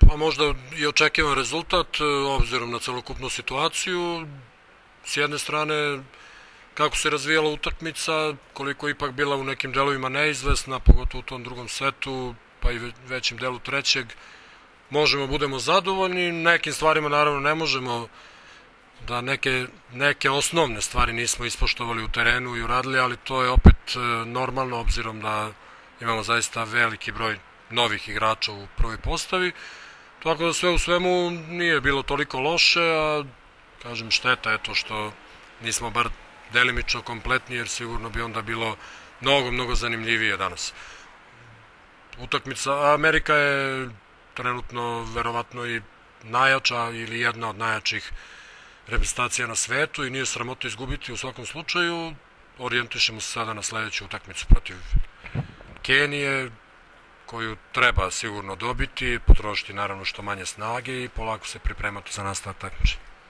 Pa možda i očekivan rezultat, obzirom na celokupnu situaciju. S jedne strane, kako se razvijala utakmica, koliko je ipak bila u nekim delovima neizvesna, pogotovo u tom drugom setu, pa i većim delu trećeg, možemo budemo zadovoljni. Nekim stvarima naravno ne možemo, da neke osnovne stvari nismo ispoštovali u terenu i uradili, ali to je opet normalno, obzirom da imamo zaista veliki broj novih igrača u prvoj postavi. Tako da sve u svemu nije bilo toliko loše, a kažem šteta je to što nismo bar delimično kompletni, jer sigurno bi onda bilo mnogo zanimljivije danas. Utakmica Amerika je trenutno verovatno i najjača ili jedna od najjačih reprezentacija na svetu i nije sramota izgubiti u svakom slučaju. Orijentišemo se sada na sledeću utakmicu protiv Kenije, koju treba sigurno dobiti, potrošiti naravno što manje snage i polako se pripremati za nastavak takmičenja.